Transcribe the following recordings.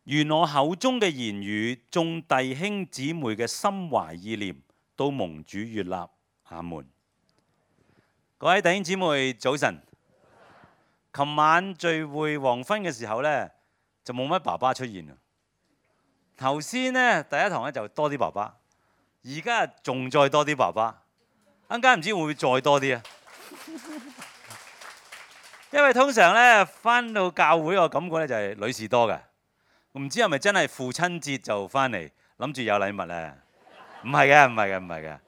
願我口中嘅言語，眾弟兄姊妹嘅心懷意念，都蒙主悅納。阿門。各位弟兄姊妹，早晨。琴晚聚會黃昏嘅時候呢，就冇乜爸爸出現啊。頭先呢，第一堂呢就多啲爸爸，而家仲再多啲爸爸，陣間唔知會唔會再多啲啊？因為通常呢，返到教會我感覺呢就係女士多嘅。唔知係咪真係父親節就返嚟，諗住有禮物咧？唔係嘅，唔係嘅，唔係嘅。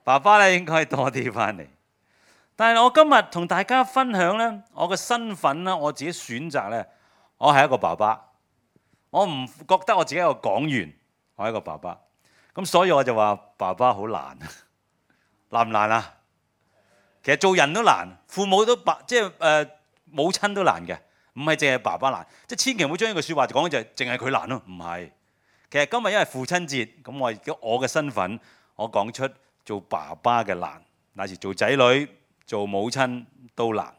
爸爸咧應該多啲返嚟。但係我今日同大家分享咧，我嘅身份咧，我自己選擇咧，我係一個爸爸。我唔覺得我自己係一個講員，我係一個爸爸。咁所以我就話爸爸好難，難唔難啊？其實做人都難，父母都母親都難嘅。唔係淨係爸爸難，即係千祈唔好將呢句説話講就係淨係佢難咯，唔係。其實今日因為父親節，咁我嘅身份，我講出做爸爸嘅難，乃至做仔女、做母親都難。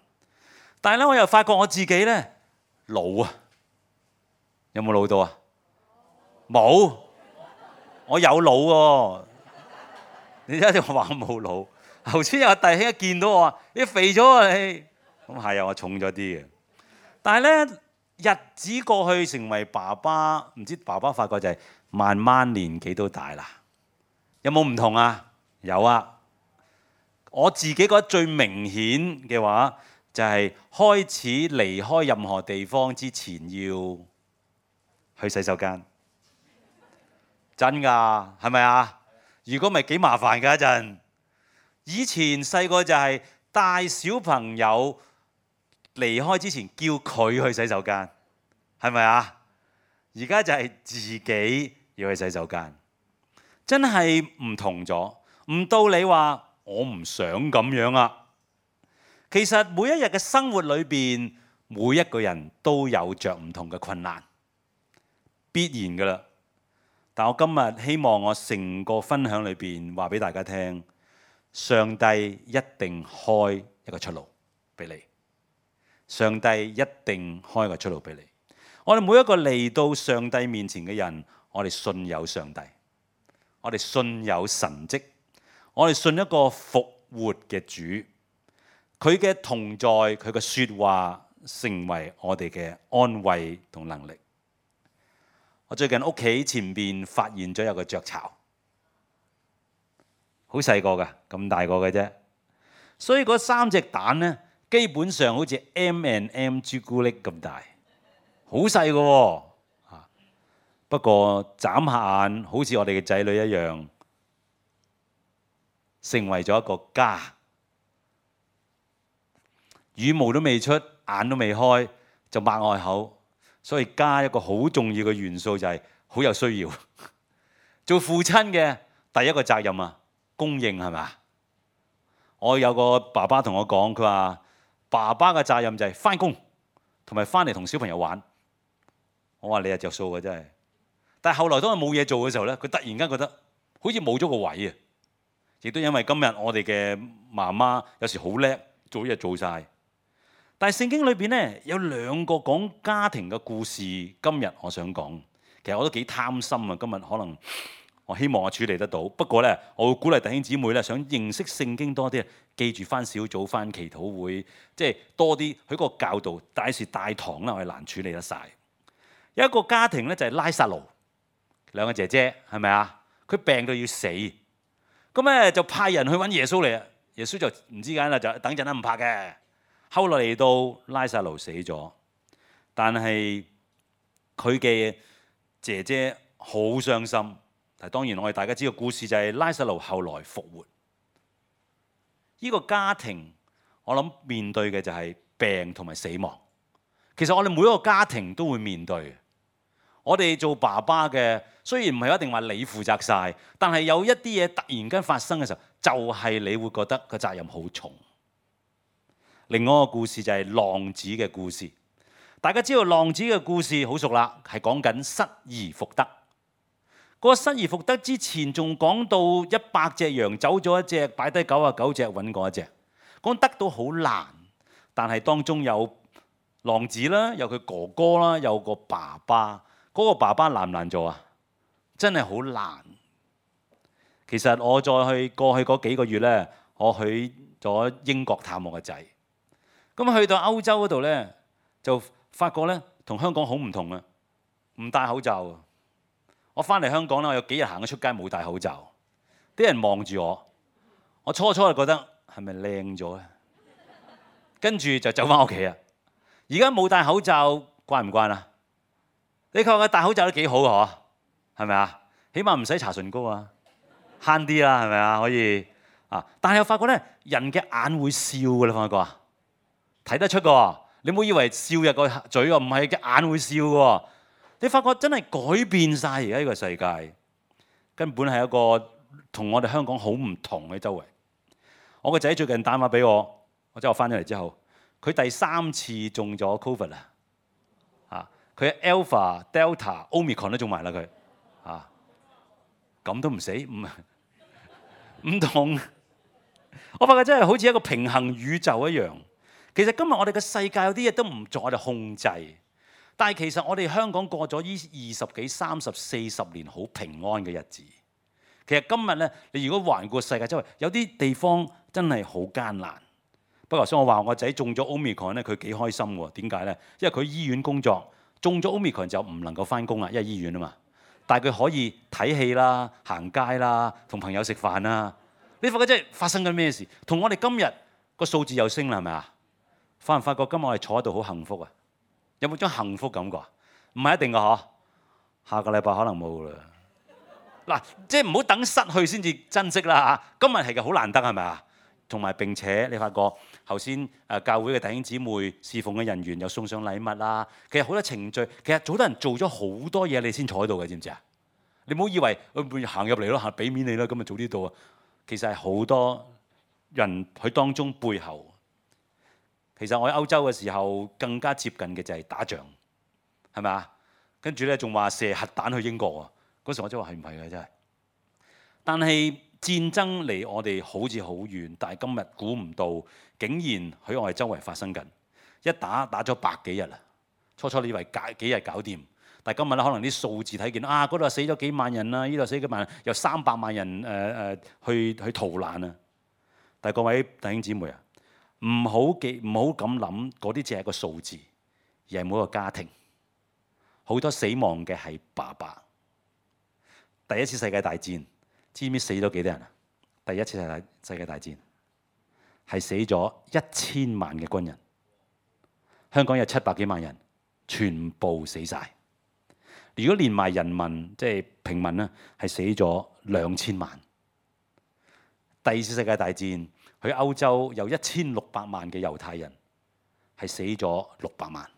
但係咧，我又發覺我自己咧老啊，有冇老到啊？冇，我有老喎。你一定話我冇老。頭先有弟兄一見到我話：你肥咗啊你！咁係啊，我重咗啲嘅。但係咧，日子過去成為爸爸，唔知爸爸發覺就係慢慢年紀都大啦。有冇唔同啊？有啊。我自己覺得最明顯嘅話，就係開始離開任何地方之前要去洗手間。真㗎，係咪啊？如果唔係幾麻煩㗎一陣。以前細個就係帶小朋友離開之前叫佢去洗手間，係咪啊？而家就係自己要去洗手間，真係唔同咗。唔到你話我唔想咁樣啊。其實每一日嘅生活裏邊，每一個人都有着唔同嘅困難，必然㗎啦。但我今日希望我成個分享裏邊話俾大家聽，上帝一定開一個出路俾你。上帝一定開個出路俾你。我哋每一個嚟到上帝面前嘅人，我哋信有上帝，我哋信有神蹟，我哋信一個復活嘅主，佢嘅同在，佢嘅説話成為我哋嘅安慰同能力。我最近屋企前邊發現咗有個雀巢，好細個㗎，咁大個嘅啫，所以嗰3隻蛋呢，基本上好似 M&M 朱古力咁大，好細個喎。不過眨下眼，好似我哋嘅仔女一樣，成為咗一個家。羽毛都未出，眼都未開，就擘開口。所以家一個好重要嘅元素就係好有需要。做父親嘅第一個責任啊，供應係咪？我有個爸爸同我講，佢話爸爸嘅責任就係返工同埋返嚟同小朋友玩。我話你係着數嘅真係。但係後來當佢冇嘢做嘅時候咧，佢突然間覺得好似冇咗個位啊！亦都因為今日我哋嘅媽媽有時好叻，做嘢做晒。但係聖經裏邊咧有2個講家庭嘅故事，今日我想講。其實我都幾貪心啊，今日可能我希望我處理得到。不過咧，我會鼓勵弟兄姊妹咧，想認識聖經多啲，記住返小組、返祈禱會，即係多啲佢個教導。大時大堂啦，我係難處理得晒。有一個家庭咧就係拉撒路，2個姐姐係咪啊？佢病到要死，咁咧就派人去揾耶穌嚟啊！耶穌就唔知點啦，就等陣啦，唔怕嘅。後來嚟到拉撒路死咗，但係佢嘅姐姐好傷心。但係當然我哋大家知道故事就係拉撒路後來復活。呢個家庭我諗面對嘅就係病同埋死亡。其實我哋每一個家庭都會面對。我哋做爸爸嘅雖然唔係一定話你負責晒，但係有一啲嘢突然間發生嘅時候，就係你會覺得個責任好重。另外一個故事就係浪子嘅故事。大家知道浪子嘅故事好熟啦，係講緊失而復得。嗰個失而復得之前仲講到100隻羊走咗1隻，擺低99隻揾過1隻。講得到好難，但係當中有浪子啦，有佢哥哥啦，有個爸爸。嗰嗰個爸爸難唔難做啊？真係好難。其實我再去過去嗰幾個月咧，我去咗英國探我個仔。咁去到歐洲嗰度咧，就發覺咧同香港好唔同啊！唔戴口罩啊！我翻嚟香港啦，我有幾日行咗出街冇戴口罩，啲人望住我，我初就覺得係咪靚咗咧？跟住就走翻屋企啊！而家冇戴口罩慣唔慣啊？你確覺戴口罩都幾好嘅嗬？係咪啊？起碼唔使搽唇膏啊，慳啲啦，係咪啊？可以啊！但係我發覺咧，人嘅眼會笑嘅，你發覺啊？睇得出嘅，你唔好以為笑入個嘴喎，唔係嘅眼會笑嘅。你發覺真係改變晒而家呢個世界，根本係一個同我哋香港好唔同嘅周圍。我個仔最近打電話俾我，即係我翻咗嚟之後，佢第3次中咗 Covid 啦，佢 Alpha、Delta、Omicron 都中埋啦佢，咁都唔死，唔同。我發覺真係好似一個平衡宇宙一樣。其實今日我哋嘅世界有啲嘢都唔在我哋控制。但係其實我哋香港過咗呢20幾、30、40年好平安嘅日子。其實今日咧，你如果環顧世界周圍，有啲地方真係好艱難。不過頭先我話我個仔中咗 Omicron 咧，佢幾開心喎？點解咧？因為佢醫院工作，中咗 Omicron 就唔能夠翻工啦，因為醫院啊嘛。但係佢可以睇戲啦、行街啦、同朋友食飯啦。你發覺真係發生緊咩事？同我哋今日個數字又升啦，係咪啊？發唔發覺今日我哋坐喺度好幸福啊？有冇種幸福感覺？唔係一定㗎嗬，下個禮拜可能冇啦。嗱，即係唔好等失去先至珍惜啦嚇。今日係嘅好難得係咪啊？同埋並且你發覺頭先教會嘅弟兄姊妹侍奉嘅人員又送上禮物啦。其實好多程序，其實好多人做咗好多嘢，你先坐喺度嘅，知唔知啊？你唔好以為行入嚟咯，行俾面你啦，咁咪早啲到啊。其實係好多人喺當中背後。其實我喺歐洲嘅時候更加接近嘅就係打仗，係咪啊？跟住咧仲話射核彈去英國喎。嗰時我真係話係唔係嘅真係。但係戰爭離我哋好似好遠，但係今日估唔到，竟然喺我哋周圍發生緊。一打咗100幾日啦。初你以為幾日搞掂，但係今日咧可能啲數字睇見嗰度死咗幾萬人啦，呢度死幾萬人，有300萬人去逃難啊。但係各位弟兄姊妹啊，唔好咁諗，嗰啲只係一個數字，而係每一個家庭。好多死亡嘅係爸爸。第一次世界大戰，知唔知死咗幾多人啊？第一次世界大戰係死咗1000萬嘅軍人，香港有700幾萬人，全部死晒。如果連埋人民，即係平民咧，係死咗2000萬。第二次世界大戰，喺歐洲有1600萬嘅猶太人，係死咗600萬。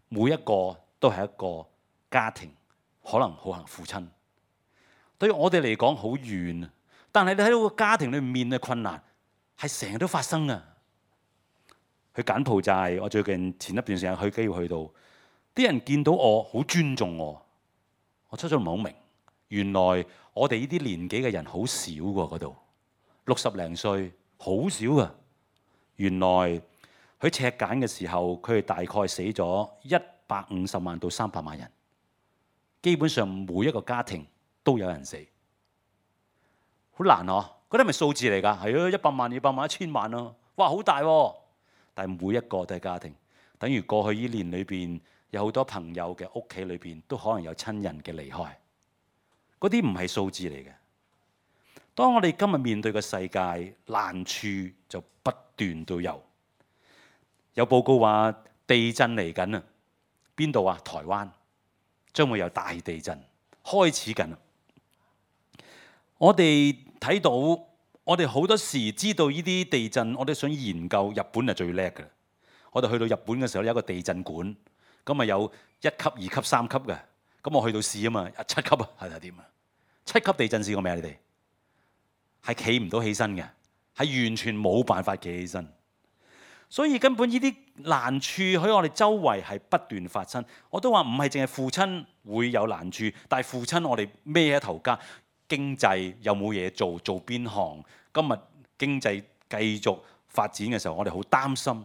每一個都係一個家庭，可能好幸父親。對於我哋嚟講好遠啊，但係你睇到個家庭裏面嘅困難係成日都發生啊。去柬埔寨，我最近前一段時間去機會去到，啲人見到我好尊重我。我初初唔係好明，原來我哋呢啲年紀嘅人好少喎，嗰度60零歲好少噶。原來喺赤柬嘅時候，佢哋大概死咗150萬到300萬人，基本上每一個家庭都有人死，好難嗬。嗰啲係咪數字嚟㗎？係啊，100萬、200萬、1000萬咯，哇，好大喎！但係每一個都係家庭，等於過去呢年裏邊有好多朋友嘅屋企裏邊都可能有親人嘅離開，嗰啲唔係數字嚟嘅。當我哋今日面對嘅世界難處就不斷都有，有報告話地震嚟緊啊！邊度啊？台灣將會有大地震開始緊。我哋睇到，我哋好多時知道呢啲地震，我哋想研究。日本係最叻嘅。我哋去到日本嘅時候有一個地震館，咁啊有1級、2級、3級嘅。咁我去到試啊嘛，7級啊，係點啊？7級地震試過未啊？你哋係企唔到起身嘅，係完全冇辦法企起身。所以根本呢啲難處喺我哋周圍係不斷發生。我都話唔係淨係父親會有難處，但係父親我哋孭一頭家，經濟有冇嘢做，做邊行？今日經濟繼續發展嘅時候，我哋好擔心。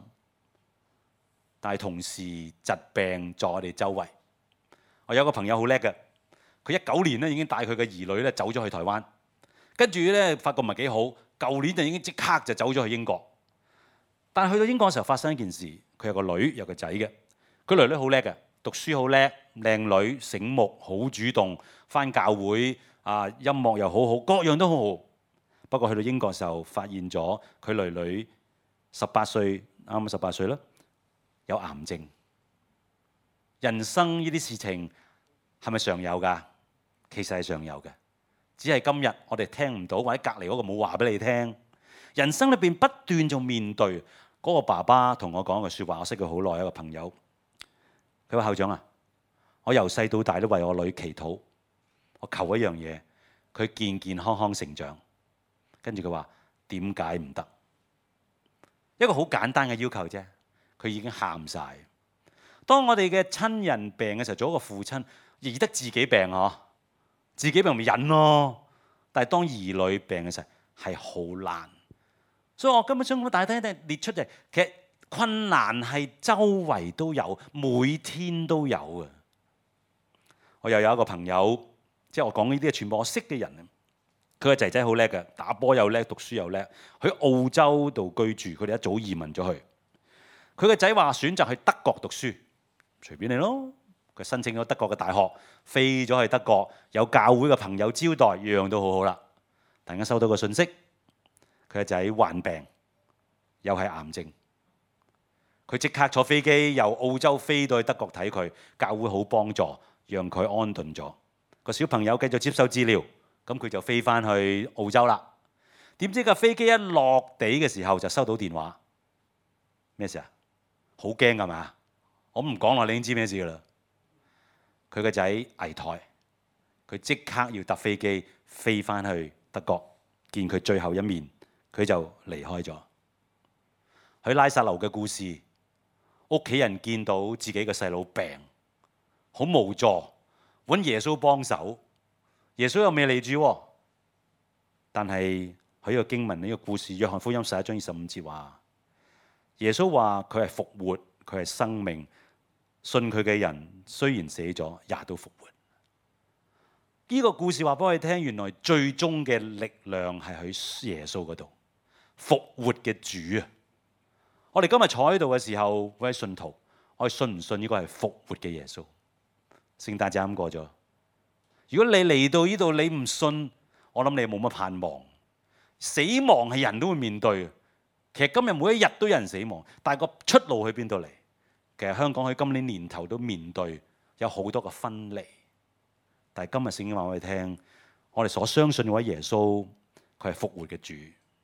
但係同時疾病在我哋周圍，我有個朋友好叻嘅，佢19年咧已經帶佢嘅兒女咧走咗去台灣，跟住咧發覺唔係幾好，舊年就已經即刻就走咗去英國。但係去到英國嘅時候發生一件事，佢有個女有個仔嘅，佢女好叻嘅，讀書好叻，靚女醒目，好主動，返教會啊，音樂又好好，各樣都好好。不過去到英國嘅時候，發現咗佢女18歲，啱啱18歲啦，有癌症。人生呢啲事情係咪常有㗎？其實係常有嘅，只係今日我哋聽唔到，或者隔離嗰個冇話俾你聽。人生裏邊不斷就面對。嗰個爸爸同我講句説話，我識佢好耐，一個朋友。佢話：校長啊，我由細到大都為我女祈禱，我求一樣嘢，佢健健康康成長。跟住佢話：點解唔得？一個好簡單嘅要求啫，佢已經喊晒。當我哋嘅親人病嘅時候，做一個父親，易得自己病嗬，自己病咪忍咯。但係當兒女病嘅時候係好難。所以我根本想講大體列出嚟，其實困難係周圍都有，每天都有嘅。我又有一個朋友，即係我講呢啲係全部我識嘅人。佢個仔仔好叻嘅，打波又叻，讀書又叻，喺澳洲度居住。佢哋一早移民咗去。佢個仔話選擇去德國讀書，隨便你咯。佢申請咗德國嘅大學，飛咗去德國，有教會嘅朋友招待，樣樣都好好啦。突然間收到個信息。佢個仔患病，又係癌症。佢即刻坐飛機由澳洲飛到去德國睇佢，教會好幫助，讓佢安頓咗。個小朋友繼續接受治療，咁佢就飛翻去澳洲啦。點知個飛機一落地嘅時候就收到電話，咩事啊？好驚㗎嘛？我唔講落，你已經知咩事㗎啦。佢個仔危殆，佢即刻要搭飛機飛翻去德國見佢最後一面。佢就離開咗。喺拉撒路嘅故事，屋企人見到自己嘅細佬病，好無助，揾耶穌幫手。耶穌又未嚟住，但係喺呢個經文呢個故事，約翰福音11章25節話，耶穌話佢係復活，佢係生命，信佢嘅人雖然死咗，也都復活。呢個故事話俾我哋聽，原來最終嘅力量係喺耶穌嗰度。復活嘅主啊！我哋今日坐喺度嘅時候，各位信徒，我哋信唔信呢個係復活嘅耶穌？聖誕節啱過咗，如果你嚟到呢度你唔信，我諗你冇乜盼望。死亡係人都會面對嘅。其實今日每一日都有人死亡，但係個出路去邊度嚟？其實香港喺今年年頭都面對有好多個分離。但係今日聖經話我哋聽，我哋所相信嗰位耶穌，佢係復活嘅主。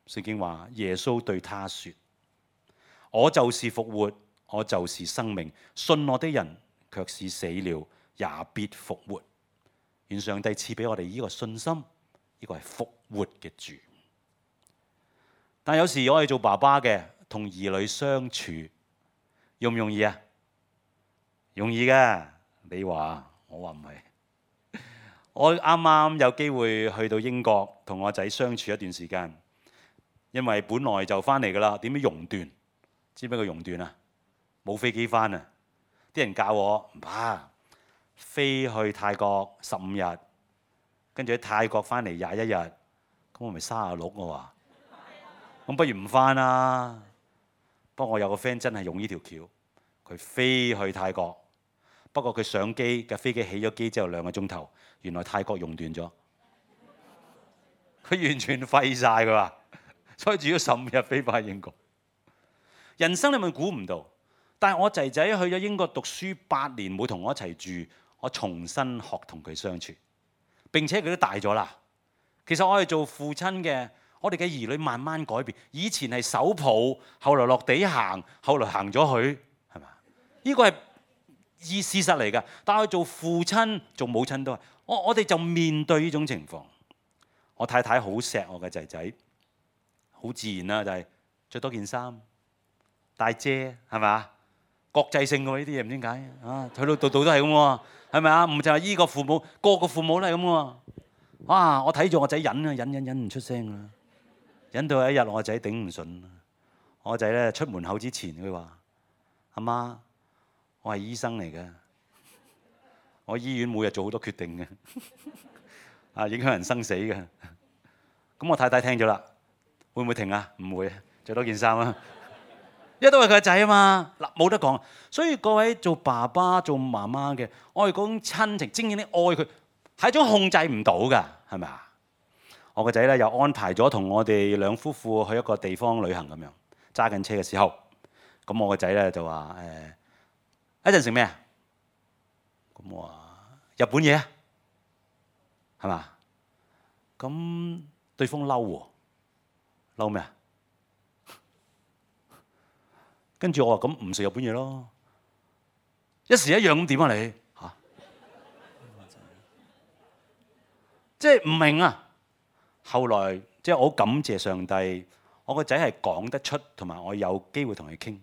聖經話耶穌對他說：我就是復活，我就是生命，信我的人卻是死了也必復活。願上帝賜俾我哋呢個信心，呢個係復活嘅主。但有時我哋做爸爸嘅同兒女相處容唔容易啊？容易㗎，你話我話唔係。我啱啱有機會去到英國同我仔相處一段時間。因為本來就翻嚟㗎啦，點樣熔斷？知唔知個熔斷啊？冇飛機翻啊！啲人教我唔怕，飛去泰國15日，跟住喺泰國翻嚟21日，咁我咪36我話，咁不如唔翻啦。不過我有個 friend 真係用呢條橋，佢飛去泰國，不過佢上機嘅飛機起咗機之後2個鐘頭，原來泰國熔斷咗，佢完全廢晒佢話。所以住咗15日飛翻去英國。人生你咪估唔到，但係我仔仔去咗英國讀書8年，冇同我一齊住，我重新學同佢相處。並且佢都大咗啦。其實我係做父親嘅，我哋嘅兒女慢慢改變。以前係手抱，後來落地行，後來行咗去，係嘛？呢個係事實嚟㗎。但係做父親、做母親都係，我哋就面對呢種情況。我太太好錫我嘅仔仔。好自然啦，就係着多件衫、帶遮，係咪啊？國際性喎呢啲嘢，唔知點解啊？去到度度都係咁喎，係咪啊？唔就係依個父母，個個父母都係咁喎。哇！我睇住我仔忍啊，忍唔出聲啦，忍到有一日我仔頂唔順。我仔咧出門口之前，佢話：阿媽，我係醫生嚟嘅，我醫院每日做好多決定嘅，啊影響人生死嘅。咁我太太聽咗啦，會唔會停啊？唔會，著多件衫啊！因為都係佢個仔啊嘛，嗱冇得講。所以各位做爸爸做媽媽嘅，我哋嗰種親情，正正你愛佢係一種控制唔到㗎，係咪啊？我個仔咧又安排咗同我哋兩夫婦去一個地方旅行咁樣，揸緊車嘅時候，咁我個仔咧就話一陣食咩啊？咁我話日本嘢啊，係嘛？咁對方嬲喎，嬲咩啊？跟住我話咁唔食日本嘢咯，一時一樣咁點啊你嚇？即係唔明啊！後來即係我好感謝上帝，我個仔係講得出，同埋我有機會同佢傾。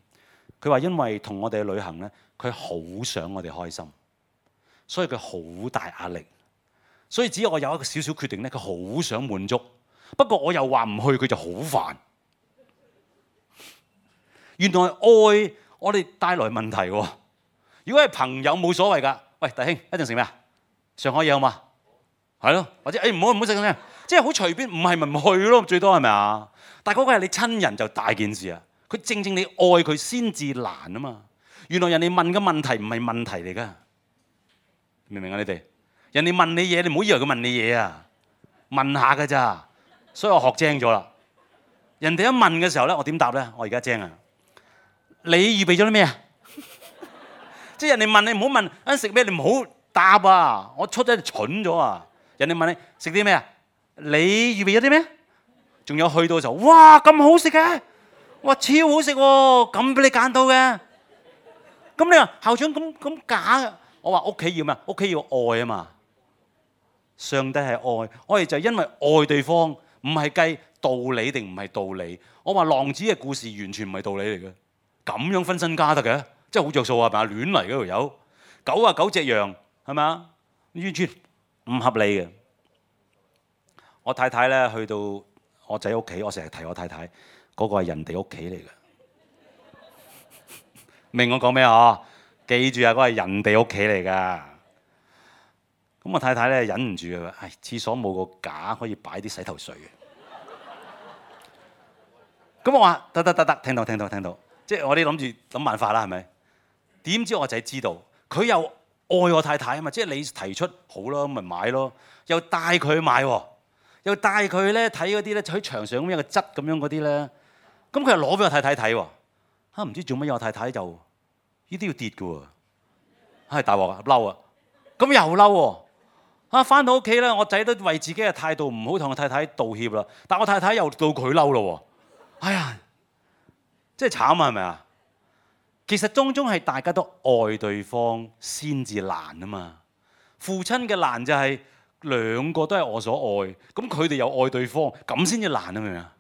佢話因為同我哋去旅行咧，佢好想我哋開心，所以佢好大壓力。所以只要我有一個少少決定咧，佢好想滿足。不過我又話唔去，佢就好煩。原來愛我哋帶來問題喎。如果係朋友冇所謂㗎。喂，弟兄一陣食咩啊？上海嘢好嘛？係咯，或者唔好食咁樣，即係好隨便，唔係咪唔去咯？最多係咪啊？但係嗰個係你親人就大件事啊！佢正正你愛佢先至難啊嘛。原來人哋問嘅問題唔係問題嚟㗎，明唔明啊？你哋人哋問你嘢，你唔好以為佢問你嘢啊，問下㗎咋。所以我學精咗啦。人哋一問嘅時候咧，我點答咧？我而家精啊！你預備咗啲咩啊？即係人哋問你唔好問食咩，你唔好答啊！我出咗蠢咗啊！人哋問你食啲咩啊？你預備咗啲咩？仲有去到嘅時候，哇咁好食嘅，哇超好食喎！咁俾你揀到嘅，咁你話校長咁假嘅？我話屋企要咩？屋企要愛啊嘛！上帝係愛，我哋就因為愛對方，唔係計道理定唔係道理。我話浪子嘅故事完全唔係道理嚟嘅。咁樣分身家得嘅，真係好着數啊！係咪啊？亂嚟嗰條友，99隻羊係咪啊？完全唔合理嘅。我太太咧去到我仔屋企，我成日提我太太，嗰個係人哋屋企嚟嘅。明我講咩啊？記住啊，嗰個係人哋屋企嚟㗎。咁我太太咧忍唔住啊！唉，廁所冇個架可以擺啲洗頭水嘅。咁我話得，聽到。即係我哋諗住諗辦法啦，係咪？點知我仔知道，佢又愛我太太啊嘛！即係你提出好咯，咁咪買咯，又帶佢去買喎，又帶佢咧睇嗰啲咧喺牆上咁樣嘅質咁樣嗰啲咧，咁佢又攞俾我太太睇喎。嚇唔知做乜嘢？我太太就呢啲要跌嘅喎，係大鑊啊，嬲啊！咁又嬲喎。啊翻到屋企咧，我仔都為自己嘅態度唔好同我太太道歉啦，但我太太又到佢嬲咯喎。哎呀！真係慘啊，係咪啊？其實當中係大家都愛對方先至難啊嘛。父親嘅難就係兩個都係我所愛，咁佢哋又愛對方，咁先至難啊，明唔明啊？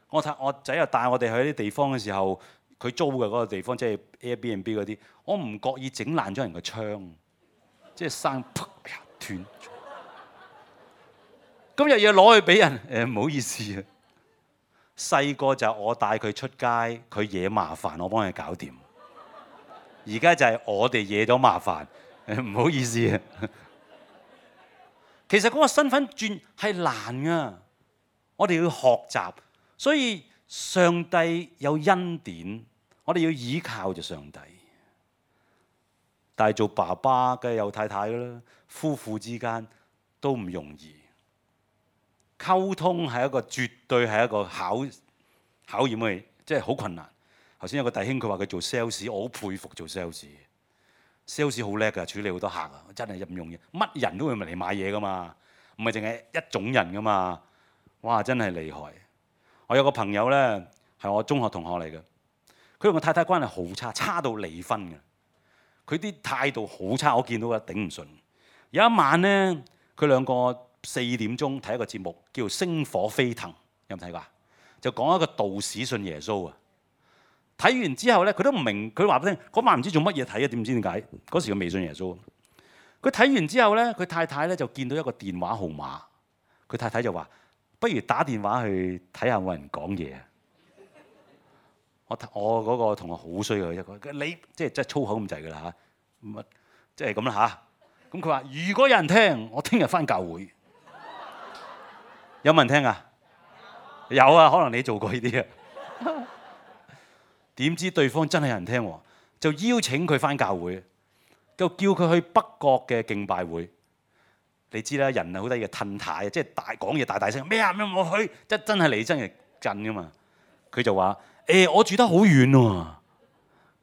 我仔又帶我哋去啲地方嘅時候，佢租嘅嗰個地方即係 Airbnb 嗰啲，我唔覺意整爛咗人個窗，即係生啪斷咗。咁又要攞去俾人，唔好意思啊。細個就我帶佢出街，佢惹麻煩，我幫佢搞掂。而家就係我哋惹咗麻煩，唔好意思啊。其實嗰個身份轉係難噶，我哋要學習。所以上帝有恩典，我哋要依靠住上帝。但係做爸爸梗係有太太噶啦，夫婦之間都唔容易。溝通係一個絕對係一個考驗嘅，即係好困難。頭先有個弟兄佢話佢做 sales，我好佩服做 sales。sales 好叻㗎，處理好多客啊，真係唔容易。乜人都會嚟買嘢㗎嘛，唔係淨係一種人㗎嘛。哇，真係厲害！我有個朋友咧係我中學同學嚟嘅，佢同個太太關係好差，差到離婚嘅。佢啲態度好差，我見到啊頂唔順。有一晚咧，佢兩個4點鐘睇一個節目，叫《星火飛騰》，有冇睇過啊？就講一個道士信耶穌啊！睇完之後咧，佢都唔明，佢話俾你聽嗰晚唔知做乜嘢睇啊？點知點解？嗰時佢未信耶穌。佢睇完之後咧，佢太太咧就見到一個電話號碼，佢太太就話：不如打電話去睇下有冇人講嘢啊！我嗰個同學好衰嘅一個，你即係粗口咁滯㗎啦嚇，即係咁啦嚇。咁佢話：如果有人聽，我聽日返教會。有冇人聽啊？有啊，可能你做過呢啲啊。點知對方真係有人聽喎，就邀請佢返教會，就叫佢去北角嘅敬拜會。你知啦，人係好得意嘅褪軚，即係講嘢大聲咩啊咩我去，真係嚟真係震噶嘛。佢就話：我住得好遠喎。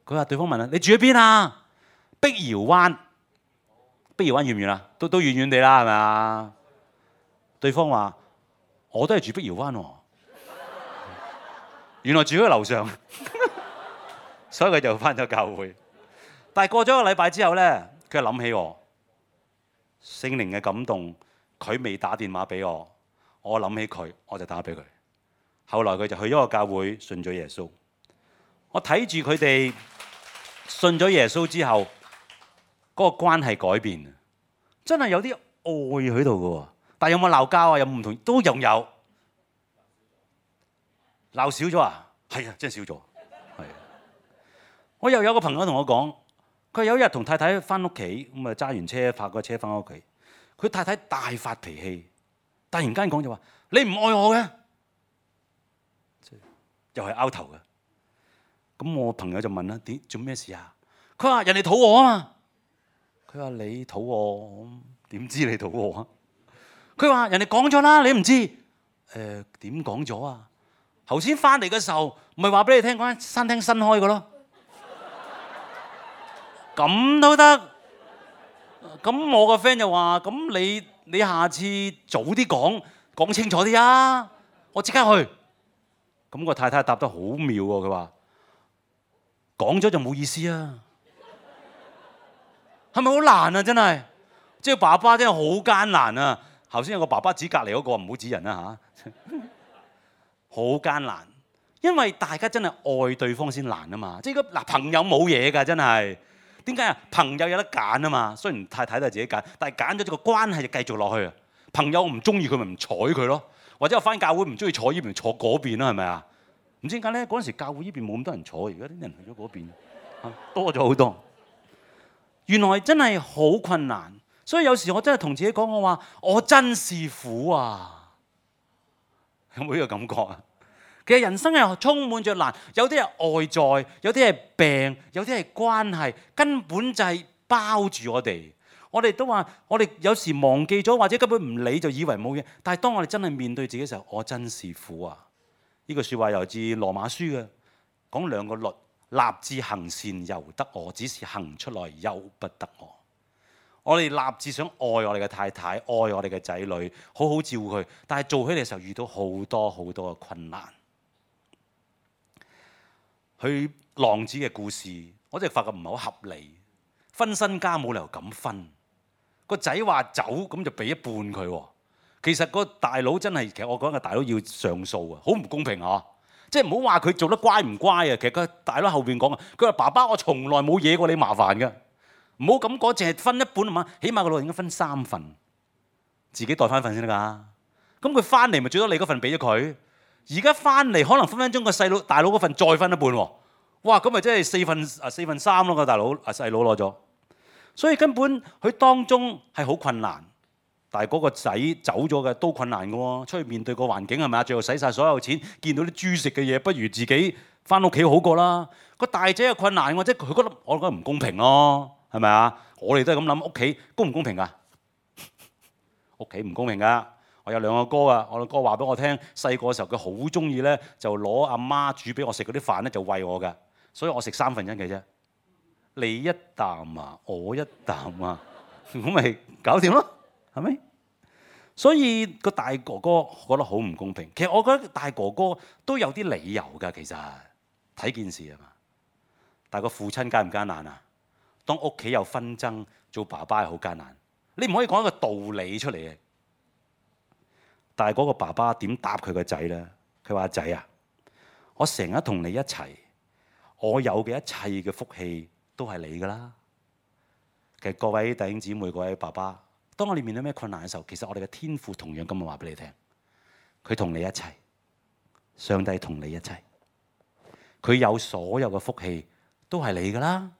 佢話對方問啦：你住喺邊啊？碧瑤灣。碧瑤灣遠唔遠啊？都遠遠地啦，係咪啊？對方話：我都係住碧瑤灣喎。原來住喺樓上，所以佢就返咗教會。但係過咗一個禮拜之後咧，佢就諗起我。聖靈嘅感動，佢未打電話俾我，我諗起佢，我就打俾佢。後來佢就去咗個教會，信咗耶穌。我睇住佢哋信咗耶穌之後，嗰個關係改變，真係有啲愛喺度嘅喎。但係有冇鬧交啊？有冇唔同？都有。鬧少咗啊？係啊，真係少咗。係。我又有個朋友同我講。佢有一日同太太返屋企，咁啊揸完車泊個車返屋企，佢太太大發脾氣，突然間講就話：你唔愛我嘅，又係拗頭嘅。咁我朋友就問啦：點做咩事啊？佢話人哋肚餓啊嘛。佢話你肚餓，點知你肚餓啊？佢話人哋講咗啦，你唔知？點講咗啊？頭先返嚟嘅時候，唔係話俾你聽嗰間餐廳新開嘅咯。咁都得，咁我個 friend 就話：咁你下次早啲講清楚啲啊！我即刻去。咁個太太答得好妙喎，佢話：講咗就冇意思啊！係咪好難啊？真係，即係爸爸真係好艱難啊！頭先有個爸爸指隔離嗰個，唔好指人啦嚇，好艱難，因為大家真係愛對方先難啊嘛！即係嗱，朋友冇嘢㗎，真係。點解啊？朋友有得揀啊嘛，雖然太太都係自己揀，但係揀咗個關係就繼續落去啊。朋友唔中意佢咪唔睬佢咯，或者我返教會唔中意坐呢邊坐嗰邊啦，係咪啊？唔知點解咧？嗰陣時教會呢邊冇咁多人坐，而家啲人去咗嗰邊，多咗好多。原來真係好困難，所以有時我真係同自己講，我話我真是苦啊！有冇呢個感覺啊？其實人生係充滿着難，有啲係外在，有啲係病，有啲係關係，根本就係包住我哋。我哋都話，我哋有時忘記咗，或者根本唔理，就以為冇嘢。但係當我哋真係面對自己嘅時候，我真是苦啊！呢句説話由自羅馬書嘅，講兩個律：立志行善由得我，只是行出來由不得我。我哋立志想愛我哋嘅太太，愛我哋嘅仔女，好好照顧佢，但係做起嚟嘅時候遇到好多好多嘅困難。佢浪子嘅故事，我真係發覺唔係好合理。分身家冇理由咁分，個仔話走咁就俾一半佢喎。其實個大佬真係，其實我講嘅大佬要上訴啊，好唔公平啊！即係唔好話佢做得乖唔乖啊。其實個大佬後邊講啊，佢話爸爸我從來冇惹過你麻煩㗎，唔好咁講，淨係分一半啊嘛。起碼個老人應該分3份，自己袋翻份先得㗎。咁佢翻嚟咪最多你嗰份俾咗佢。而家翻嚟可能分分鐘個大佬嗰份再分一半喎，哇！咁咪真係4分3咯，個大佬細佬攞咗，所以根本佢當中係好困難。但係嗰個仔走咗嘅都困難嘅喎，出去面對個環境係咪啊？最後使晒所有錢，見到啲豬食嘅嘢，不如自己翻屋企好過啦。個大仔又困難喎，即係佢覺得我覺得唔公平咯，係咪啊？我哋都係咁諗，屋企公唔公平㗎？屋企唔公平㗎。我有2個哥啊，我個哥話俾我聽，細個嘅時候佢好中意咧，就攞阿媽煮俾我食嗰啲飯咧，就餵我㗎，所以我食1/3嘅啫。你一啖啊，我一啖啊，咁咪搞掂咯，係咪？所以個大哥哥覺得好唔公平。其實我覺得大哥哥都有啲理由㗎，其實睇件事啊嘛。但係個父親艱唔艱難啊？當屋企有紛爭，做爸爸係好艱難。你唔可以講一個道理出嚟嘅。但係嗰個爸爸點答佢個仔咧？佢話：仔啊，我成日同你一齊，我有嘅一切嘅福氣都係你㗎啦。其實各位弟兄姊妹、各位爸爸，當我哋面對咩困難嘅時候，其實我哋嘅天父同樣咁樣話俾你聽，佢同你一齊，上帝同你一齊，佢有所有嘅福氣都係你㗎啦。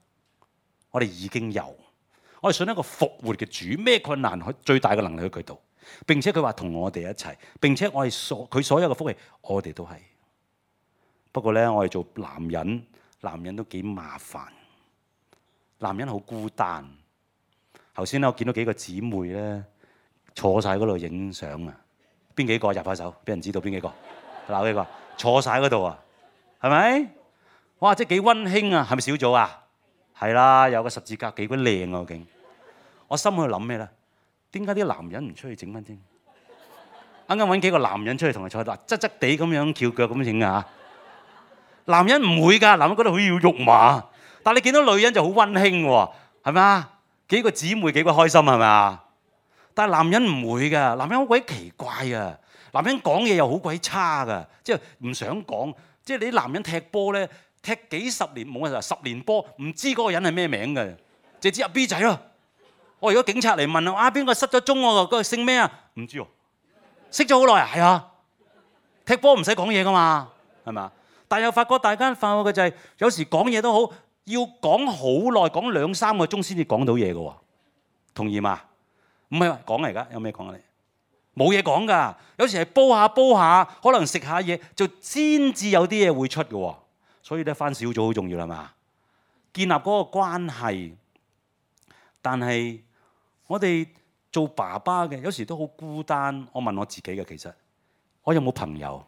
我哋已經有，我哋信一個復活嘅主，咩困難最大嘅能力喺佢度。並且佢話同我哋一齊，並且我哋佢所有嘅福氣，我哋都係。不過咧，我哋做男人都幾麻煩，男人好孤單。頭先咧，我見到幾個姊妹咧坐晒嗰度影相啊！邊幾個入下手？俾人知道邊幾個？鬧幾個？坐晒嗰度啊？係咪？哇！即係幾溫馨啊！係咪小組啊？係啦，有個十字架幾鬼靚啊！竟我心喺度諗咩咧？點解啲男人唔出去整翻先？啱啱揾幾個男人出去同佢坐，嗱側側地咁樣翹腳咁整啊！男人唔會㗎，男人覺得好要肉麻，但係你見到女人就好溫馨喎，係咪啊？幾個姊妹幾鬼開心係咪啊？但係男人唔會㗎，男人好鬼奇怪啊！男人講嘢又好鬼差㗎，即係唔想講。即係你啲男人踢波咧，踢幾十年冇啊，10年波唔知嗰個人係咩名㗎，就知阿 B 仔咯。我如果警察嚟問啊，邊個失咗蹤喎？嗰個姓咩啊？唔知喎，識咗好耐啊，係啊，踢波唔使講嘢㗎嘛，係咪啊？但係又發覺大家發覺嘅就係，有時講嘢都好，要講好耐，講2-3個鐘先至講到嘢㗎喎，同意嘛？唔係講嚟㗎，有咩講啊？你冇嘢講㗎，有時係煲下，可能食下嘢就先至有啲嘢會出㗎喎。所以咧，返小組好重要啦嘛，建立嗰個關係。但係我哋做爸爸嘅，有時都好孤單。我問我自己嘅，其實我有冇朋友？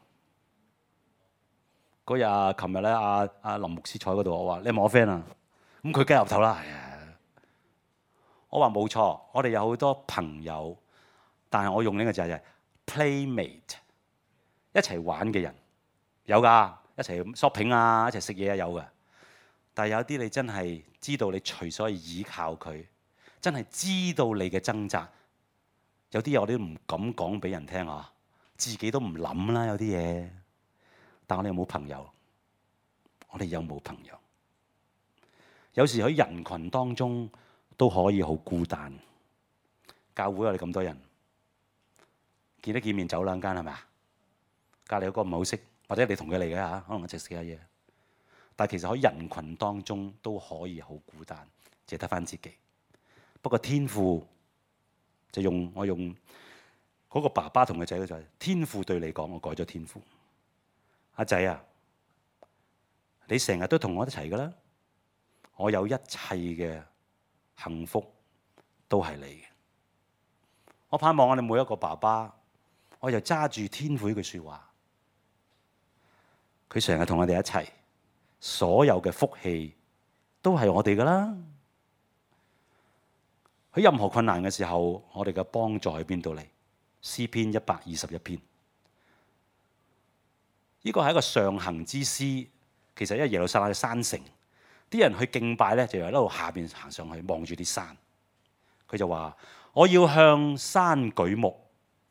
嗰日琴日咧，阿林牧師坐喺嗰度，我話你係咪我 friend 啊？咁佢梗係岌頭啦。我話冇錯，我哋有好多朋友，但係我用呢個字係 playmate， 一齊玩嘅人有㗎，一齊 shopping 啊，一齊食嘢啊，有㗎。但係有啲你真係知道你隨所依靠佢，真係知道你嘅掙扎。有啲嘢我哋都唔敢講俾人聽啊，自己都唔諗啦，有啲嘢。但我哋有冇朋友？我哋有冇朋友？有時喺人群當中都可以好孤單。教會我哋咁多人，見得見面走兩間係咪啊？隔離有個唔好識，或者你同佢嚟嘅嚇，可能一齊食下嘢。但係其實喺人群當中都可以好孤單，淨係得返自己。不過天父就我用嗰個爸爸同個仔嘅就係天父對你講，我改咗天父。阿仔啊，你成日都同我一齊㗎啦，我有一切嘅幸福都係你嘅。我盼望我哋每一個爸爸，我就揸住天父呢句説話，佢成日同我哋一齊，所有嘅福氣都係我哋㗎啦。喺任何困難嘅時候，我哋嘅幫助喺邊度嚟？詩篇121篇。呢個係一個上行之詩，其實因為耶路撒冷嘅山城，啲人去敬拜咧，就由一路下邊行上去，望住啲山。佢就話：我要向山舉目，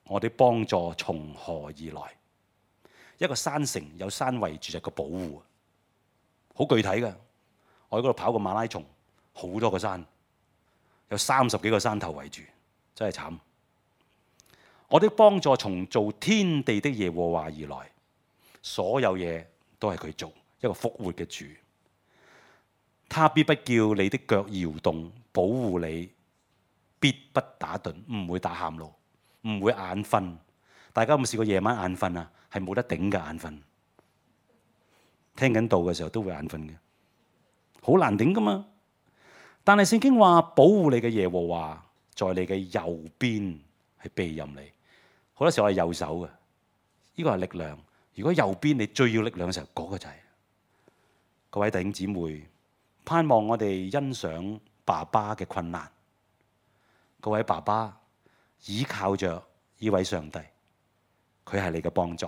我啲幫助從何而來？一個山城有山圍住，就個保護，好具體嘅。我喺嗰度跑個馬拉松，好多個山，有30幾個山頭圍住，真係慘。我啲幫助從造天地的耶和華而來。所有嘢都係佢做，一個復活嘅主。他必不叫你的腳搖動，保護你，必不打盹，唔會打喊路，唔會眼瞓。大家有冇試過夜晚眼瞓啊？係冇得頂嘅眼瞓。聽緊道嘅時候都會眼瞓嘅，好難頂噶嘛。但係聖經話保護你嘅耶和華在你嘅右邊係庇蔭你。好多時候我係右手嘅，呢個係力量。如果右邊你最要力量嘅時候，嗰個就係。各位弟兄姊妹，盼望我哋欣賞爸爸嘅困難。各位爸爸倚靠着呢位上帝，佢係你嘅幫助，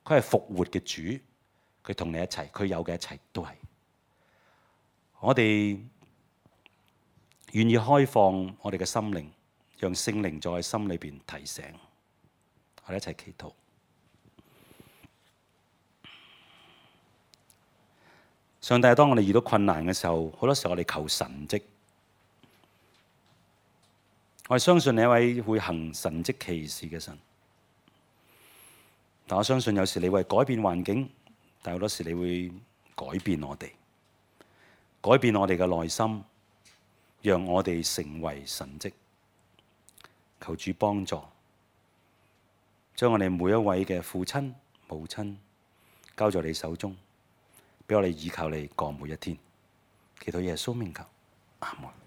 佢係復活嘅主，佢同你一齊，佢有嘅一切都係。我哋願意開放我哋嘅心靈，讓聖靈在心裏邊提醒，我哋一齊祈禱。上帝，當我哋遇到困難嘅時候，好多時候我哋求神蹟。我哋相信你一位會行神蹟奇事嘅神，但我相信有時你會改變環境，但好多時你會改變我哋，改變我哋嘅內心，讓我哋成為神蹟。求主幫助，將我哋每一位嘅父親、母親交在你手中，俾我哋倚靠你過每一天。祈禱耶穌名求，阿門。